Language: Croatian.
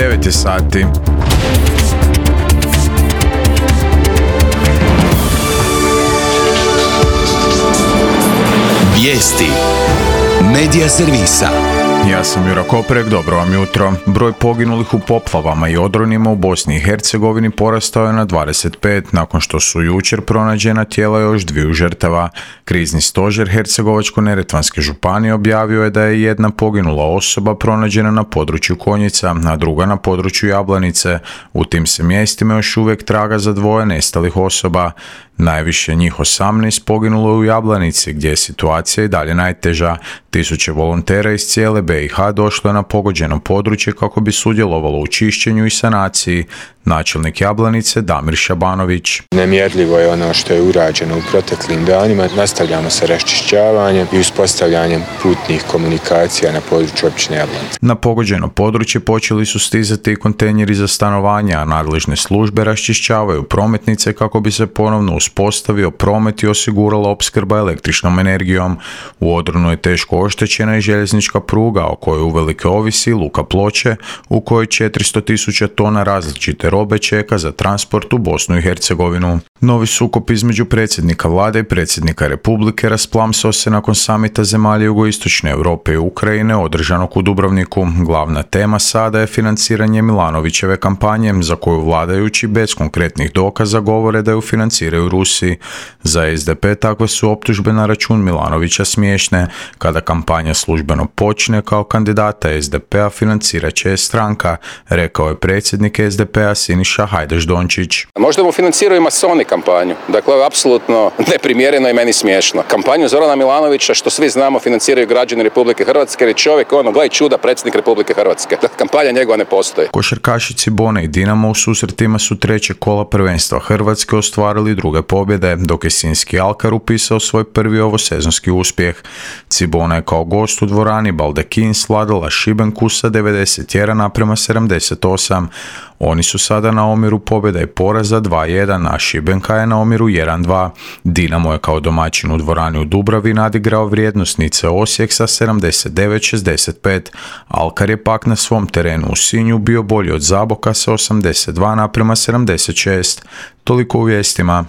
9 je sati. Vijesti Medija servisa. Ja sam Jura Koprek, dobro vam jutro. Broj poginulih u poplavama i odronima u Bosni i Hercegovini porastao je na 25 nakon što su jučer pronađena tijela još 2 žrtava. Krizni stožer Hercegovačko-neretvanske županije objavio je da je jedna poginula osoba pronađena na području Konjica, a druga na području Jablanice. U tim se mjestima još uvijek traga za 2 nestalih osoba. Najviše njih 18 poginulo je u Jablanici, gdje je situacija i dalje najteža. Tisuće volontera iz cijele BiH došlo je na pogođeno područje kako bi sudjelovalo u čišćenju i sanaciji. Načelnik Jablanice Damir Šabanović. Nemjerljivo je ono što je urađeno u proteklim danima. Nastavljamo sa raščišćavanjem i uspostavljanjem putnih komunikacija na području općine Jablanica. Na pogođeno područje počeli su stizati i kontejneri za stanovanje, a nadležne službe raščišćavaju prometnice kako bi se ponovno uspostavio promet i osigurala opskrba električnom energijom. U odronu je teško oštećena i željeznička pruga o kojoj uvelike ovisi luka Ploče, u kojoj 400.000 tona različite robe čeka za transport u Bosnu i Hercegovinu. Novi sukob između predsjednika vlade i predsjednika Republike rasplamsao se nakon samita zemalja jugoistočne Europe i Ukrajine održanog u Dubrovniku. Glavna tema sada je financiranje Milanovićeve kampanje, za koju vladajući bez konkretnih dokaza govore da ju financiraju Rusi. Za SDP takve su optužbe na račun Milanovića smiješne. Kada kampanja službeno počne, kao kandidata SDP-a financirat će je stranka, rekao je predsjednik SDP-a Siniša Hajdaš Dončić. Možda mu financiraju masoni kampanju. Dakle, ovo je apsolutno neprimjereno i meni smiješno. Kampanju Zorana Milanovića, što svi znamo, financiraju građani Republike Hrvatske, jer je čovjek, gle čuda, predsjednik Republike Hrvatske. Dakle, kampanja njegova ne postoji. Košarkaši Cibone i Dinamo u susretima su 3. kola prvenstva Hrvatske ostvarili 2. pobjede, dok je Sinjski Alkar upisao svoj prvi ovosezonski uspjeh. Cibona je kao gost u dvorani Baldekin svladala Šibenku sa 91:78. Oni su sada na omjeru pobjeda i poraza 2:1, a Šibenka je na omjeru 1:2. Dinamo je kao domaćin u dvorani u Dubravi nadigrao vrijednosnice Osijek sa 79:65. Alkar je pak na svom terenu u Sinju bio bolji od Zaboka sa 82:76. Toliko u vijestima.